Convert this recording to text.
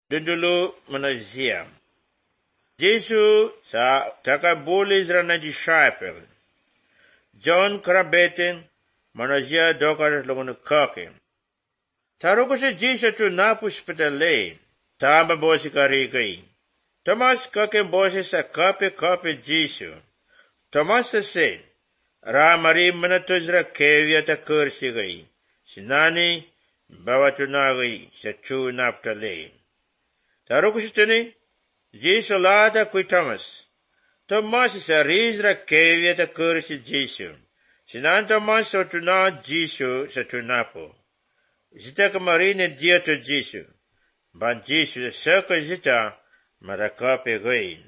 Dulu manazia. Jesu sa takabulis ra na disciple. John Krabetin manazia dokar longon kake. Taruko si Jesu tu napus petale. Tama bosi karikai. Thomas kake bosi sa kape Jesu. Thomas said, Ramari manatuzra kevya ta kursi gai. Sinani bawatunagi sa chu naptale. Taruko si tuni, Jesu lada kui Thomas. Thomas sa rizra kevya ta kursi Jesu. Sinan Thomas sa tuna Jesu sa tunapo. Zita kamarine dia to Jesu. Ban Jesu sa ka zita marakape gain.